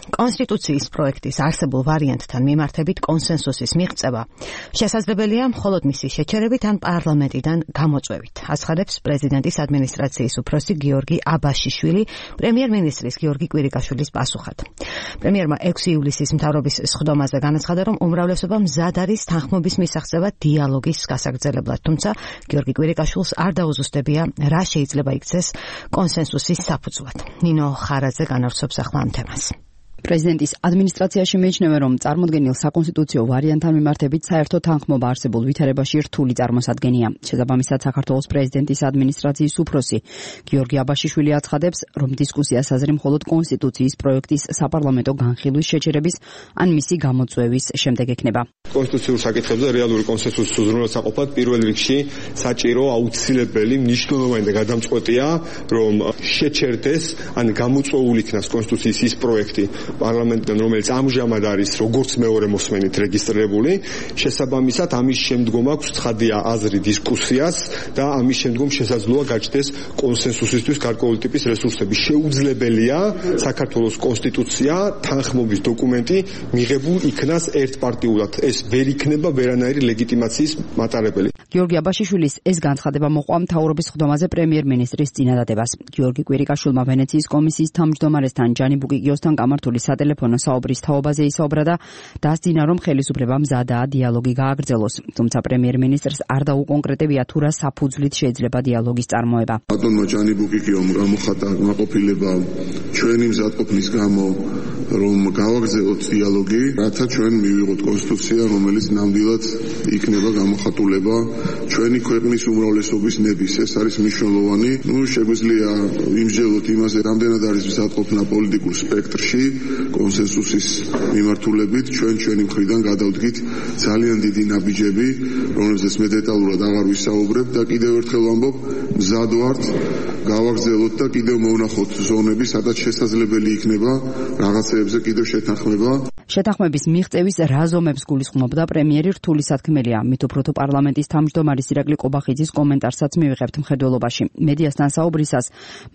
კონსტიტუციის პროექტის არსებულ ვარიანტთან მიმართებით კონსენსუსის მიღწევა შესაძლებელია მხოლოდ მისი შეჩერებით ან პარლამენტიდან გამოწვევით, აცხადებს პრეზიდენტის ადმინისტრაციის უფროსი გიორგი აბაშიშვილი პრემიერ-მინისტრის გიორგი კვირიკაშვილის პასუხად. პრემიერმა 6 ივლისის მთავრობის სხდომაზე განაცხადა, რომ უმრავლესობა მზად არის თანხმობის მისაღწევად დიალოგის გასაგრძელებლად, თუმცა გიორგი კვირიკაშვილს არ დაუზუსტებია, რა შეიძლება იქცეს კონსენსუსის საფუძვლად. ნინო ხარაძე განავრცობს ახლა ამ თემას. პრეზიდენტის ადმინისტრაციაში მიიჩნევა, რომ წარმოდგენილ საკონსტიტუციო ვარიანტთან მიმართებით საერთო თანხმობა არსებულ ვითარებაში რთული წარმოსადგენია. შესაბამისად, საქართველოს პრეზიდენტის ადმინისტრაციის უფროსი გიორგი აბაშიშვილი აცხადებს, რომ დისკუსიას აზრი მხოლოდ კონსტიტუციის პროექტის საპარლამენტო განხილვის შეჩერების ან მისი გამოწვევის შემდეგ ექნება. კონსტიტუციურ საკითხებზე რეალური კონსენსუსის უზრუნველსაყოფად პირველ რიგში საჭირო, აუცილებელი, მნიშვნელოვანი და გადამწყვეტია, რომ შეჩერდეს ან გამოწვეული იქნას კონსტიტუციის ის პროექტი პარლამენტიდან, რომელიც ამჟამად არის როგორც მეორე მოსმენით რეგისტრირებული, შესაბამისად ამის შემდგომ აქვს ცხადია აზრი დისკუსიას და ამის შემდგომ შესაძლოა გაჩნდეს კონსენსუსისთვის გარკვეული ტიპის რესურსები. შეუძლებელია საქართველოს კონსტიტუცია, თანხმობის დოკუმენტი მიღებულ იქნას ერთპარტიულად. ეს ვერ იქნება ვერანაირი ლეგიტიმაციის მატარებელი. გიორგი აბაშიშვილის ეს განცხადება მოყვა მთავრობის სხდომაზე პრემიერ-მინისტრის წინადადებას. გიორგი კვირიკაშვილმა ვენეციის კომისიის თავმჯდომარესთან ჯანი ბუკიკიოსთან გამართული სატელეფონო საუბრის თაობაზე ისაუბრა და დასძინა, რომ ხელისუფლება მზადაა დიალოგი გააგრძელოს. თუმცა პრემიერ-მინისტრს არ დაუკონკრეტებია, თუ რა საფუძვლით შეიძლება დიალოგის წარმოება. ბატონმა ჯანი ბუკიკიომ გამოხატა კმაყოფილება ჩვენი მზადყოფნის გამო, რომ გავაგრძელოთ დიალოგი, რათა ჩვენ მივიღოთ კონსტიტუცია, რომელიც ნამდვილად იქნება გამოხატულება ჩვენი ქვეყნის უმრავლესობის ნების. ეს არის მნიშვნელოვანი. შეგვიძლია ვიმსჯელოთ იმაზე, რამდენად არის მზადყოფნა პოლიტიკურ სპექტრში კონსენსუსის მიმართულებით. ჩვენი მხრიდან გადავდგით ძალიან დიდი ნაბიჯები, რომლებზეც მე დეტალურად აღარ ვისაუბრებ და კიდევ ერთხელ ვამბობ, მზად ვართ გავაგრძელოთ და კიდევ მოვნახოთ ზონები, სადაც შესაძლებელი იქნება რაღაცეებზე კიდევ შეთანხმება. შეთანხმების მიღწევის რა ზომებს გულისხმობდა პრემიერი რთული სათქმელია. მით უფრო თუ პარლამენტის თავმჯდომარის ირაკლი ყობახიძის კომენტარსაც მივიღებთ მხედველობაში. მედიასთან საუბრისას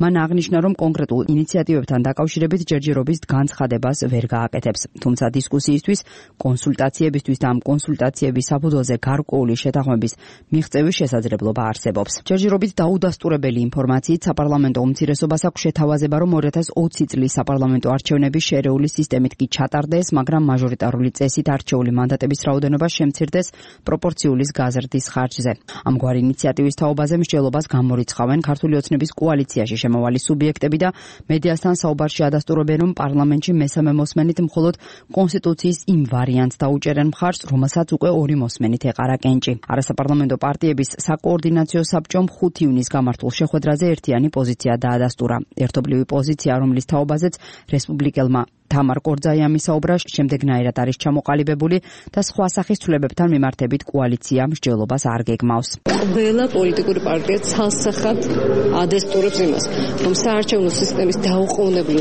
მან აღნიშნა, რომ კონკრეტულ ინიციატივებთან დაკავშირებით ჯერჯერობით განცხადებას ვერ გააკეთებს. თუმცა დისკუსიისთვის, კონსულტაციებისთვის და ამ კონსულტაციების საფუძველზე გარკვეული შეთანხმების მიღწევის შესაძლებლობა არსებობს. ჯერჯერობით დაუდასტურებელი ინფორმაციით საპარლამენტო უმცირესობას აქვს შეთავაზება, რომ 2020 წლის საპარლამენტო არჩევნები შერეული სისტემით კი ჩატარდეს, მაგრამ მაჟორიტარული წესით არჩეული მანდატების რაოდენობა შემცირდეს პროპორციულის გაზრდის ხარჯზე. ამგვარი ინიციატივის თაობაზე მსჯელობას გამორიცხავენ ქართული ოცნების კოალიციაში შემავალი სუბიექტები და მედიასთან საუბარში ადასტურებენ, რომ პარლამენტში მესამე მოსმენით მხოლოდ კონსტიტუციის იმ ვარიანტს დაუჭერენ მხარს, რომელსაც უკვე ორი მოსმენით ეყარა კენჭი. არასაპარლამენტო პარტიების საკოორდინაციო საბჭომ 5 ივნისს გამართულ შეხვედრაზე ერთიანი პოზიცია დაადასტურა. ერთობლივი პოზიცია, რომლის თაობაზეც რესპუბლიკელმა თამარ კორძაიამი საუბრა, შემდეგნაირად არის ჩამოყალიბებული და სხვა სახის ცვლილებებთან მიმართებით კოალიცია მსჯელობას არ გეგმავს. ყველა პოლიტიკური პარტია ცალსახად ადასტურებს იმას, რომ საარჩევნო სისტემის დაუყოვნებლივ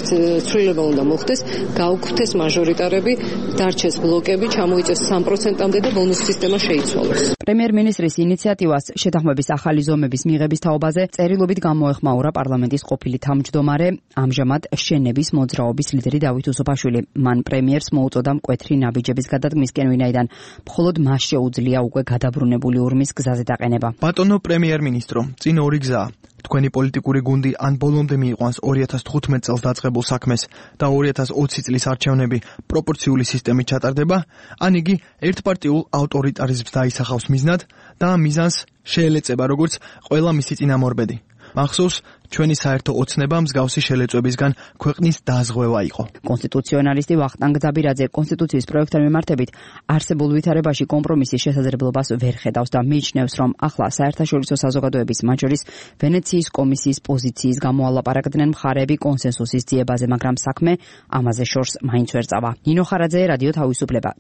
ცვლილება უნდა მოხდეს, გაუქმდეს მაჟორიტარები, დარჩეს ბლოკები, ჩამოიწეს 3%-მდე და ბონუს სისტემა შეიცვალოს. პრემიერ-მინისტრის ინიციატივას შეთანხმების ახალი ზომების მიღების თაობაზე წერილობით გამოეხმაურა პარლამენტის ყოფილი თავმჯდომარე, ამჟამად შენების მოძრაობის ლიდერი დავით უსუფაშვილი. მან პრემიერს მოუწოდა მკვეთრი ნაბიჯების გადადგმისკენ, ვინაიდან მხოლოდ მას შეუძლია უკვე გადაბრუნებული ურმის გზაზე დაყენება. ბატონო პრემიერ-მინისტრო, წინ ორი გზაა. თქვენი პოლიტიკური გუნდი ან ბოლომდე მიიყვანს 2015 წელს დაწყებულ საქმეს და 2020 წლის არჩევნები პროპორციული სისტემით ჩატარდება, ან იგი ერთპარტიულ ავტორიტარიზმს დაისახავს მიზნად და ამ მიზანს შეელეწება როგორც ყველა მისი წინამორბედი. მახსოვს, ჩვენი საერთო ოცნება მსგავსი შელეწვებისგან ქვეყნის დაზღვევა იყო. კონსტიტუციონალისტი ვახტანგ ძაბირაძე კონსტიტუციის პროექტთან მიმართებით არსებულ ვითარებაში კომპრომისის შესაძლებლობას ვერ ხედავს და მიიჩნევს, რომ ახლა საერთაშორისო საზოგადოების, მათ შორის ვენეციის კომისიის პოზიციის გამო ალაპარაკდნენ მხარეები კონსენსუსის ძიებაზე, მაგრამ საქმე ამაზე შორს მაინც ვერ წავა. ნინო ხარაძე, რადიო თავისუფლება.